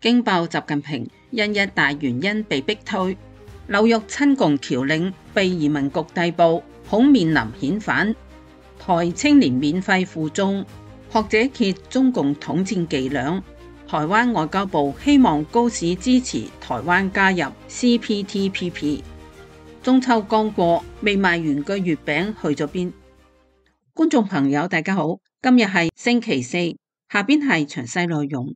驚爆習近平因一大原因被逼退，紐約親共僑領被移民局逮捕，恐面臨遣返。台青年免費附中，學者揭中共統戰伎倆。台灣外交部希望高市支持台灣加入 CPTPP。中秋剛過，未賣完嘅月餅去咗邊？觀眾朋友大家好，今日係星期四，下邊係詳細內容。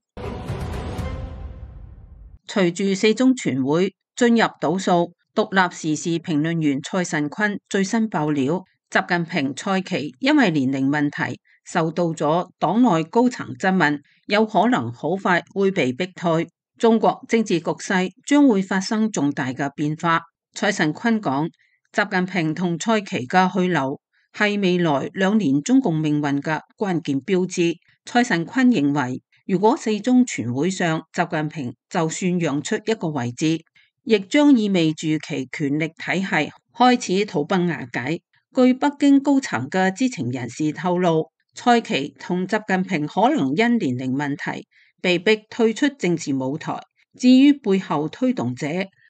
隨住四中全會進入倒數，獨立時事評論員蔡慎坤最新爆料，習近平蔡奇因為年齡問題受到咗黨內高層質問，有可能好快會被逼退。中國政治局勢將會發生重大嘅變化。蔡慎坤講，習近平同蔡奇嘅去留係未來2年中共命運嘅關鍵標誌。蔡慎坤認為，如果四中全會上習近平就算讓出一個位置，亦將意味住其權力體系開始土崩瓦解。據北京高層嘅知情人士透露，蔡奇同習近平可能因年齡問題被逼退出政治舞台。至於背後推動者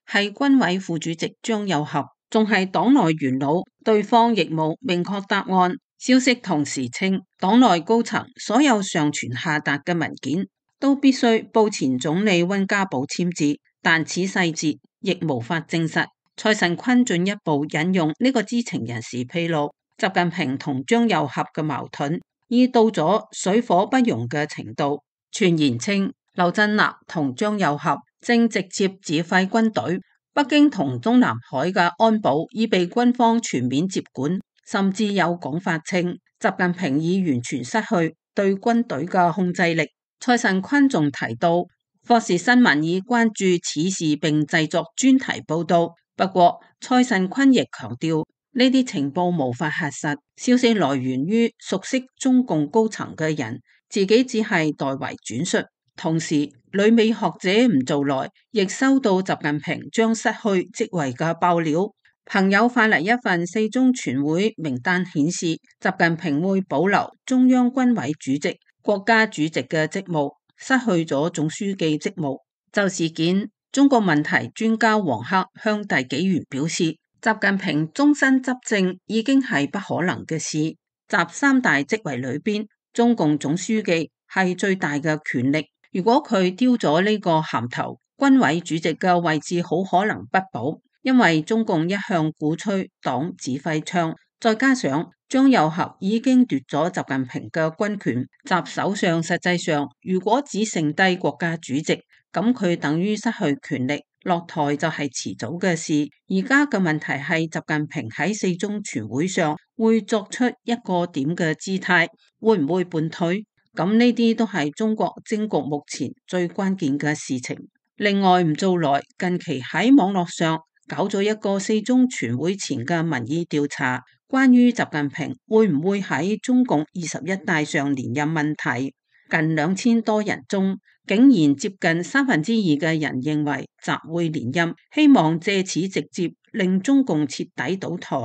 係軍委副主席張又俠，仲係黨內元老，對方亦冇明確答案。消息同時稱，黨內高層所有上傳下達嘅文件都必須報前總理溫家寶簽字，但此細節亦無法證實。蔡慎坤進一步引用呢個知情人士披露，習近平同張又俠嘅矛盾已到咗水火不容嘅程度。傳言稱，劉振立同張又俠正直接指揮軍隊，北京同中南海嘅安保已被軍方全面接管。甚至有講法稱，習近平已完全失去對軍隊嘅控制力。蔡慎坤仲提到，霍士新聞已關注此事並製作專題報道。不過，蔡慎坤亦強調，呢啲情報無法核實，消息來源於熟悉中共高層嘅人，自己只係代為轉述。同時，旅美學者吳造來亦收到習近平將失去職位嘅爆料。朋友發嚟一份四中全會名單，顯示習近平會保留中央軍委主席、國家主席嘅職務，失去咗總書記職務。就事件，中國問題專家王克向大紀元表示，習近平終身執政已經係不可能嘅事。習三大職位裏邊，中共總書記係最大嘅權力，如果佢丟咗呢個銜頭，軍委主席嘅位置好可能不保。因為中共一向鼓吹黨指揮槍，再加上張又俠已經奪咗習近平嘅軍權，習首相實際上如果只剩低國家主席，咁佢等於失去權力，落台就係遲早嘅事。而家嘅問題係習近平喺四中全會上會作出一個點嘅姿態，會唔會叛退？咁呢啲都係中國政局目前最關鍵嘅事情。另外，吳造來近期喺網絡上搞咗一個四中全會前嘅民意調查，關於習近平會唔會喺中共21大上連任問題，近2000多人中，竟然接近2/3嘅人認為習會連任，希望借此直接令中共徹底倒台。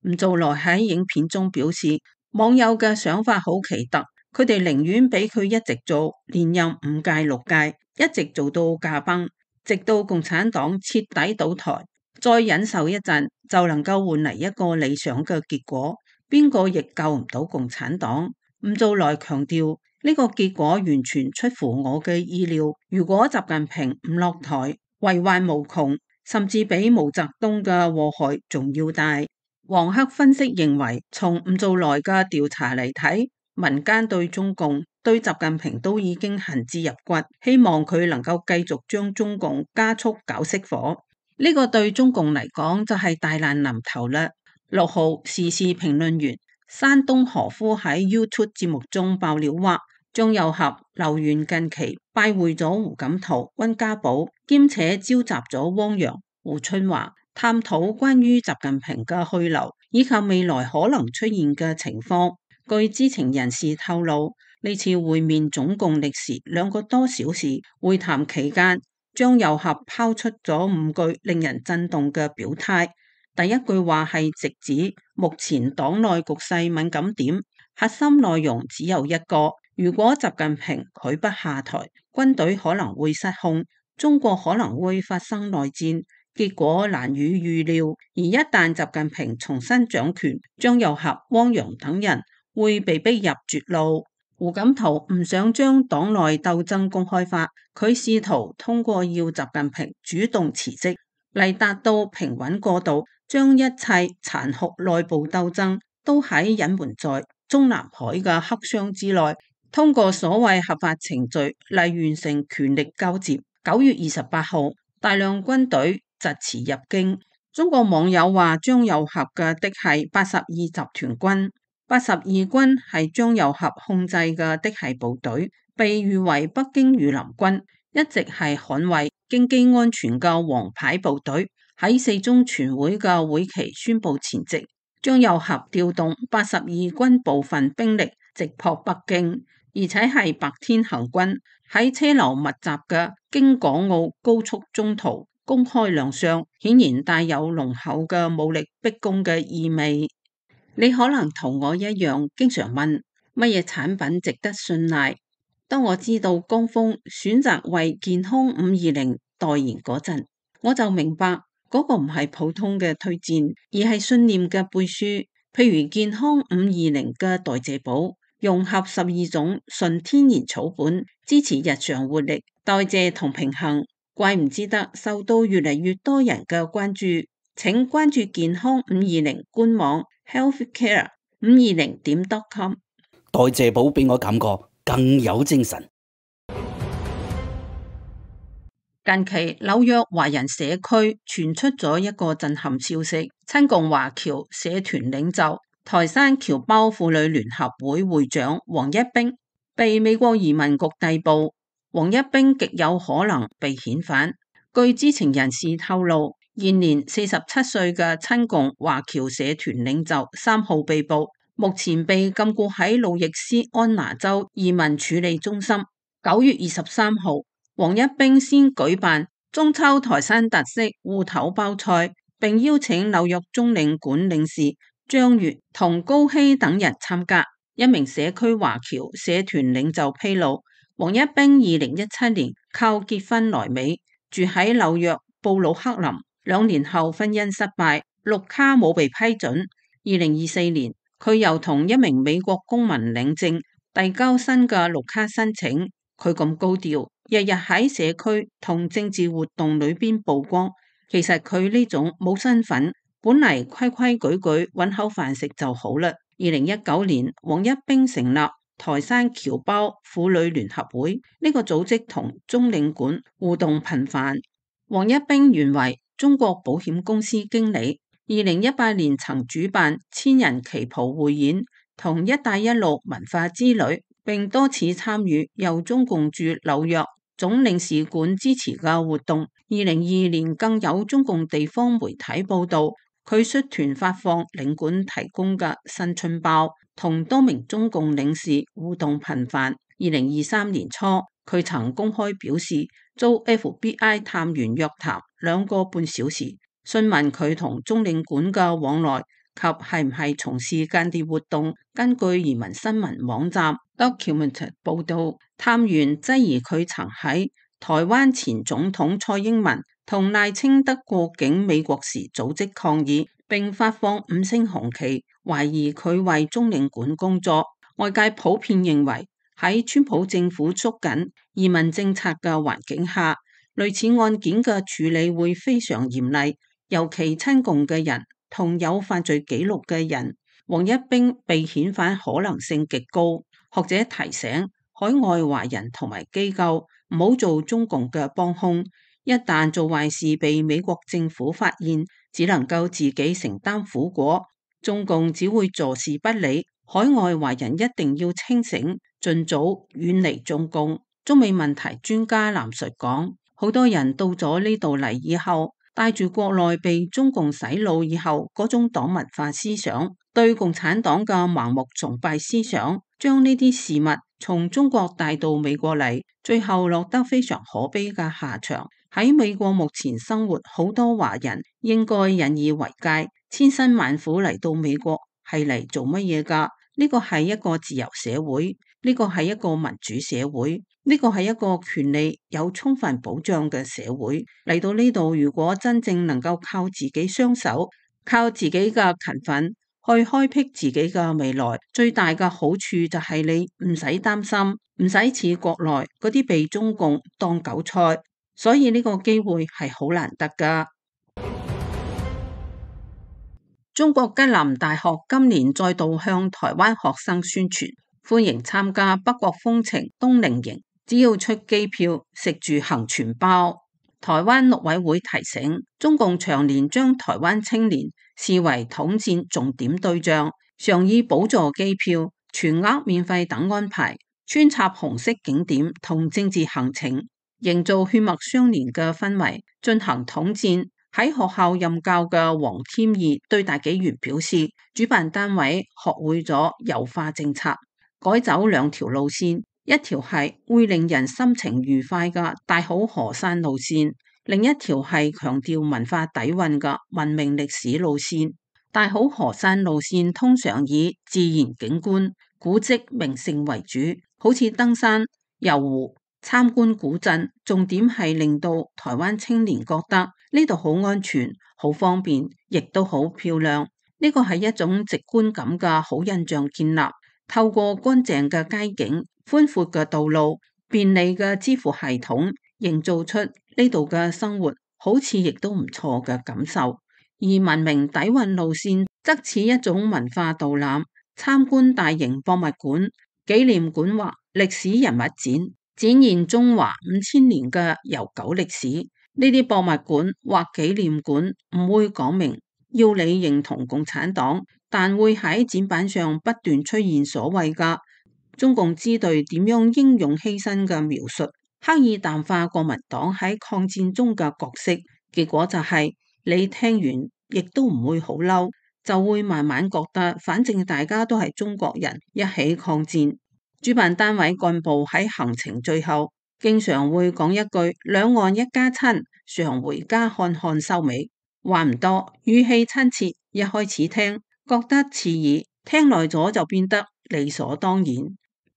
吳造來喺影片中表示，網友嘅想法好奇特，佢哋寧願俾佢一直做，連任5屆6屆，一直做到駕崩，直到共產黨徹底倒台，再忍受一陣就能夠換嚟一個理想嘅結果。邊個亦救唔到共產黨。吳造來強調，呢個結果完全出乎我嘅意料。如果習近平唔落台，禍患無窮，甚至比毛澤東嘅禍害仲要大。王克分析認為，從吳造來嘅調查嚟睇，民間對中共、對習近平都已經恨之入骨，希望佢能夠繼續將中共加速搞熄火。呢個對中共嚟講就係大難臨頭啦。6號時事評論員山東何夫喺 YouTube 節目中爆料話，張又俠、劉源近期拜會咗胡錦濤、溫家寶，兼且召集咗汪洋、胡春華，探討關於習近平嘅去留以及未來可能出現嘅情況。據知情人士透露，呢次會面總共歷時2個多小時。會談期間，張又俠拋出咗5句令人震動嘅表態。第一句話係直指目前黨內局勢敏感點，核心內容只有一個：如果習近平拒不下台，軍隊可能會失控，中國可能會發生內戰，結果難以預料。而一旦習近平重新掌權，張又俠、汪洋等人會被逼入絕路。胡錦濤唔想將黨內鬥爭公開化，佢試圖通過要習近平主動辭職嚟達到平穩過渡，將一切殘酷內部鬥爭都喺隱瞞在中南海嘅黑箱之內，通過所謂合法程序嚟完成權力交接。9月28號，大量軍隊疾馳入京。中國網友話張又俠嘅的係82集團軍，82軍係張又俠控制嘅的係部隊，被譽為北京御林軍，一直係捍衛京畿安全嘅王牌部隊。喺四中全會嘅會期宣布前夕，張又俠調動82軍部分兵力直撲北京，而且係白天行軍，喺車流密集嘅京港澳高速中途公開亮相，顯然帶有濃厚嘅武力逼宮嘅意味。你可能同我一樣，經常問乜嘢產品值得信賴。當我知道江峰選擇為健康520代言嗰陣，我就明白嗰個唔係普通嘅推薦，而係信念嘅背書。譬如健康520嘅代謝寶，融合12種純天然草本，支持日常活力、代謝同平衡，怪唔之得受到越嚟越多人嘅關注。請關注健康520官網 healthcare520.com。代謝寶俾我感覺更有精神。近期紐約華人社區傳出咗一個震撼消息，親共華僑社團領袖台山僑胞婦女聯合會會長王一冰被美國移民局逮捕，王一冰極有可能被遣返。據知情人士透露，現年47歲嘅親共華僑社團領袖3號被捕，目前被禁錮喺路易斯安那州移民處理中心。9月23號，王一冰先舉辦中秋台山特色芋頭包菜，並邀請紐約中領館領事張月同高希等人參加。一名社區華僑社團領袖披露，王一冰2017年靠結婚來美，住喺紐約布魯克林，2年後婚姻失敗，綠卡冇被批准。2024年，佢又同一名美國公民領證，遞交新嘅綠卡申請。佢咁高調，日日喺社區同政治活動裏邊曝光，其實佢呢種冇身份，本嚟規規矩矩揾口飯食就好啦。2019年，王一冰成立台山僑胞婦女聯合會，呢個組織同中領館互動頻繁。王一冰原為中國保險公司經理，2018年曾主辦千人旗袍匯演同一帶一路文化之旅，並多次參與由中共駐紐約總領事館支持嘅活動。2022年更有中共地方媒體報道，佢率團發放領館提供嘅新春包，同多名中共領事互動頻繁。2023年初，佢曾公開表示遭 FBI 探員約談2個半小時，詢問佢同中領館嘅往來及係唔係從事間諜活動。根據移民新聞網站 Document 報道，探員質疑佢曾喺台灣前總統蔡英文同賴清德過境美國時組織抗議，並發放5星紅旗，懷疑佢為中領館工作。外界普遍認為喺川普政府縮緊移民政策嘅環境下，類似案件嘅處理會非常嚴厲，尤其親共嘅人同有犯罪記錄嘅人，王一冰被遣返可能性極高。學者提醒海外華人同埋機構唔好做中共嘅幫兇，一旦做壞事被美國政府發現，只能夠自己承擔苦果，中共只會坐視不理。海外華人一定要清醒，盡早遠離中共。中美問題專家藍述講，好多人到咗呢度嚟以後，帶住國內被中共洗腦以後嗰種黨文化思想，對共產黨嘅盲目崇拜思想，將呢啲事物從中國帶到美國嚟，最後落得非常可悲嘅下場。喺美國目前生活好多華人應該引以為戒，千辛萬苦嚟到美國係嚟做乜嘢㗎？呢個係一個自由社會，呢個係一個民主社會，呢個係一個權利有充分保障嘅社會。嚟到呢度，如果真正能夠靠自己雙手，靠自己嘅勤奮去開闢自己嘅未來，最大嘅好處就係你唔使擔心，唔使似國內嗰啲被中共當韭菜，所以呢個機會係好難得㗎。中國吉林大學今年再度向台灣學生宣傳，歡迎參加北國風情冬令營，只要出機票，食住行全包。台灣陸委會提醒，中共長年將台灣青年視為統戰重點對象，常以補助機票、全額免費等安排，穿插紅色景點同政治行程，營造血脈相連嘅氛圍，進行統戰。喺學校任教嘅黃添義對大紀元表示，主辦單位學會咗優化政策，改走兩條路線，一條係會令人心情愉快嘅大好河山路線，另一條係強調文化底蘊嘅文明歷史路線。大好河山路線通常以自然景觀、古蹟名勝為主，好似登山、遊湖、參觀古鎮，重點係令到台灣青年覺得呢度好安全、好方便，亦都好漂亮。呢個係一種直觀感嘅好印象建立，透過乾淨嘅街景、寬闊嘅道路、便利嘅支付系統，營造出呢度嘅生活好似亦都唔錯嘅感受。而文明底蘊路線則似一種文化導覽，參觀大型博物館、紀念館或歷史人物展，展現中華5000年嘅悠久歷史。呢啲博物館或紀念館唔會講明要你認同共產黨，但會喺展板上不斷出現所謂嘅中共支隊點樣英勇犧牲嘅描述，刻意淡化國民黨喺抗戰中嘅角色。結果就係你聽完亦都唔會好嬲，就會慢慢覺得反正大家都係中國人，一起抗戰。主辦單位幹部喺行程最後經常會講一句兩岸一家親，常回家看看收尾。話唔多，語氣親切，一開始聽覺得刺耳，聽耐咗就變得理所當然。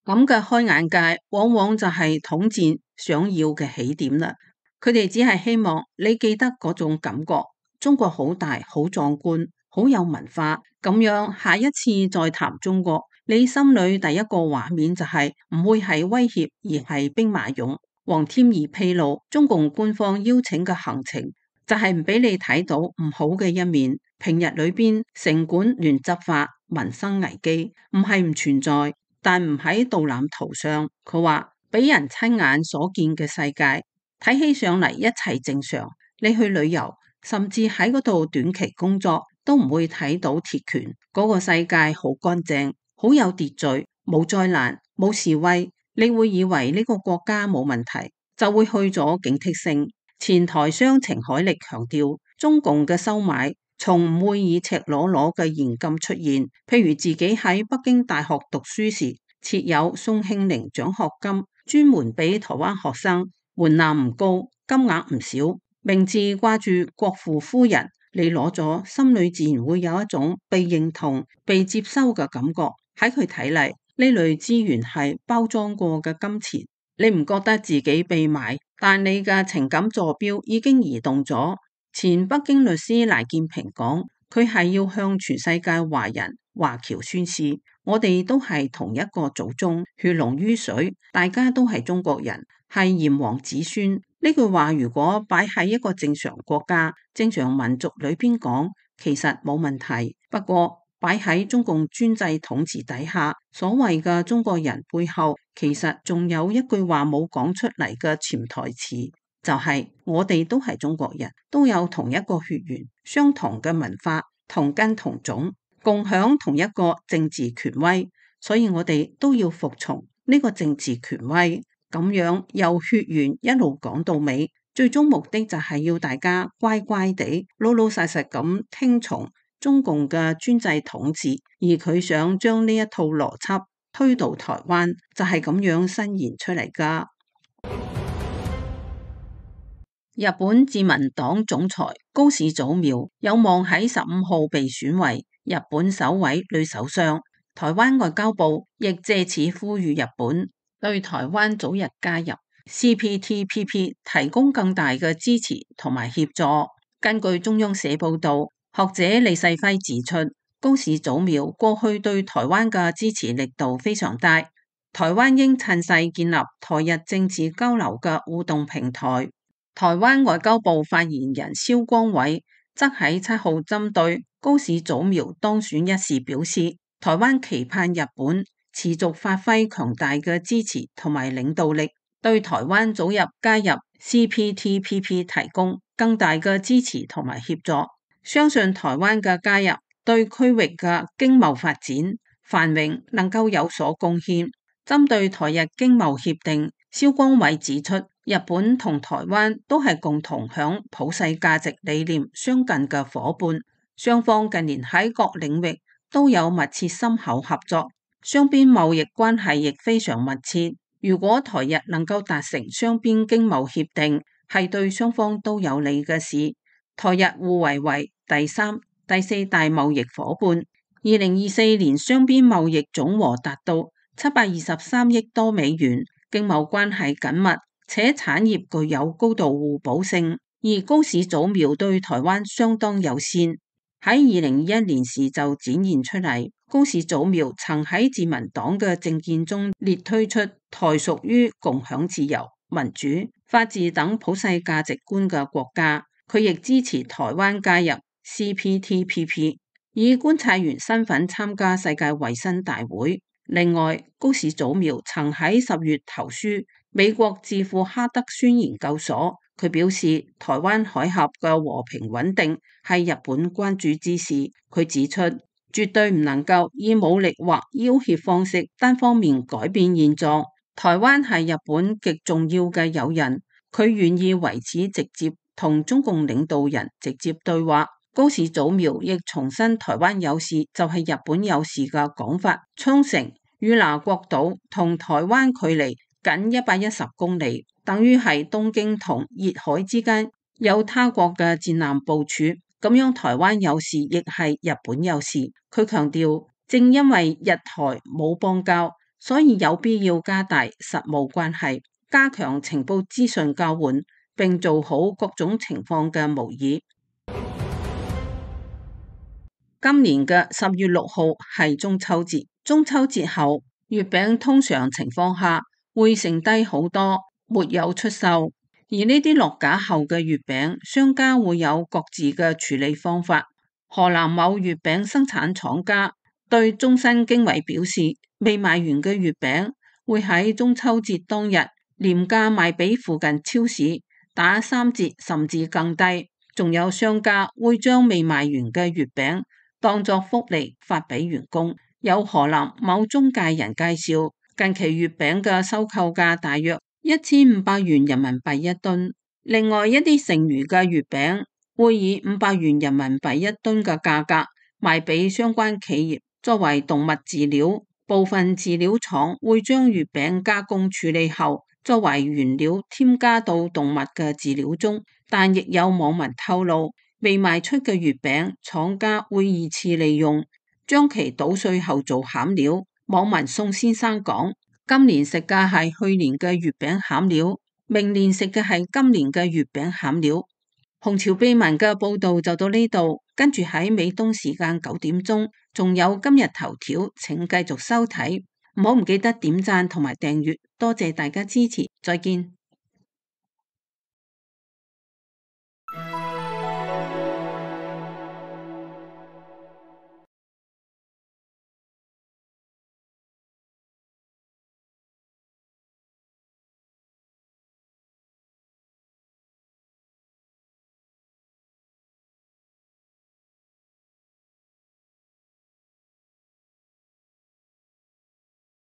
咁嘅開眼界往往就係統戰想要嘅起點啦。佢哋只係希望你記得嗰種感覺，中國好大好壯觀，好有文化，咁樣下一次再談中國，你心裏第一個畫面就係唔會係威脅，而係兵馬俑。黃添義披露，中共官方邀請嘅行程就係唔俾你睇到唔好嘅一面。平日裏邊城管亂執法、民生危機唔係唔存在，但唔喺導覽圖上。佢話俾人親眼所見嘅世界睇起上嚟一切正常，你去旅遊甚至喺嗰度短期工作都唔會睇到鐵拳。嗰個世界好乾淨，好有秩序，冇災難，冇示威，你會以為呢個國家冇問題，就會去咗警惕性。前台商程海力強調，中共嘅收買從唔會以赤裸裸嘅現金出現。譬如自己喺北京大學讀書時，設有宋慶齡獎學金，專門俾台灣學生，門檻唔高，金額唔少，名字掛住國父夫人，你攞咗，心裏自然會有一種被認同、被接收嘅感覺。喺佢睇嚟，呢類資源係包裝過嘅金錢，你唔覺得自己被買，但你嘅情感坐標已經移動咗。前北京律師賴建平講，佢係要向全世界華人華僑宣示，我哋都係同一個祖宗，血濃於水，大家都係中國人，係炎黃子孫。呢句話如果擺喺一個正常國家、正常民族裏邊講，其實冇問題。不過擺喺中共專制統治底下，所謂嘅中國人背後，其實仲有一句話冇講出嚟嘅潛台詞，就係我哋都係中國人，都有同一個血緣、相同嘅文化、同根同種，共享同一個政治權威，所以我哋都要服從呢個政治權威。咁樣由血緣一路講到尾，最終目的就係要大家乖乖地、老老實實咁聽從中共嘅專制統治，而佢想將呢一套邏輯推到台灣，就係咁樣伸延出嚟噶。日本自民黨總裁高市早苗有望喺15號被選為日本首位女首相。台灣外交部亦借此呼籲日本對台灣早日加入 CPTPP 提供更大嘅支持同埋協助。根據中央社報導，學者李世輝指出，高市早苗過去對台灣嘅支持力度非常大，台灣應趁勢建立台日政治交流嘅互動平台。台灣外交部發言人蕭光偉則喺7號針對高市早苗當選一事表示，台灣期盼日本持續發揮強大嘅支持同埋領導力，對台灣早日加入 CPTPP 提供更大嘅支持同埋協助。相信台灣嘅加入對區域嘅經貿發展繁榮能夠有所貢獻。針對台日經貿協定，蕭光偉指出，日本同台灣都係共同享普世價值理念相近嘅夥伴，雙方近年喺各領域都有密切深厚合作，雙邊貿易關係亦非常密切。如果台日能夠達成雙邊經貿協定，係對雙方都有利嘅事。台日互為第3、第4大貿易夥伴。2024年雙邊貿易總和達到723億多美元，經貿關係緊密，且產業具有高度互補性。而高市早苗對台灣相當友善，喺2021年時就展現出嚟。高市早苗曾喺自民黨嘅政見中列推出台屬於共享自由、民主、法治等普世價值觀嘅國家，佢亦支持台灣加入 CPTPP， 以觀察員身份參加世界衛生大會。另外，高市早苗曾喺10月投書美國智庫哈德宣研究所，佢表示台灣海峽嘅和平穩定係日本關注之事。佢指出，絕對唔能夠以武力或要挾方式單方面改變現狀。台灣係日本極重要嘅友人，佢願意為此直接同中共領導人直接對話。高市早苗亦重申台灣有事就係日本有事嘅講法。沖繩、與那國島同台灣距離僅110公里，等於係東京同熱海之間有他國嘅戰艦部署。咁樣台灣有事亦係日本有事。佢強調，正因為日台冇邦交，所以有必要加大實務關係，加強情報資訊交換，並做好各種情況嘅模擬。今年嘅10月6號係中秋節，中秋節後月餅通常情況下會剩低好多，沒有出售。而呢啲落架後嘅月餅，商家會有各自嘅處理方法。河南某月餅生產廠家對中新經緯表示，未賣完嘅月餅會喺中秋節當日廉價賣俾附近超市，打3折甚至更低。仲有商家會將未賣完嘅月餅當作福利發俾員工。有河南某中介人介紹，近期月餅嘅收購價大約1500元人民幣一噸，另外一啲剩餘嘅月餅會以500元人民幣一噸嘅價格賣俾相關企業作為動物飼料。部分飼料廠會將月餅加工處理後作為原料添加到動物嘅飼料中，但亦有網民透露，未賣出嘅月餅廠家會二次利用，將其搗碎後做餡料。網民宋先生講，今年食嘅係去年嘅月餅餡料，明年食嘅係今年嘅月餅餡料。紅潮秘聞嘅報道就到呢度，跟住喺美東時間9點鐘，仲有今日頭條，請繼續收睇，唔好唔記得點讚同埋訂閱，多謝大家支持，再見。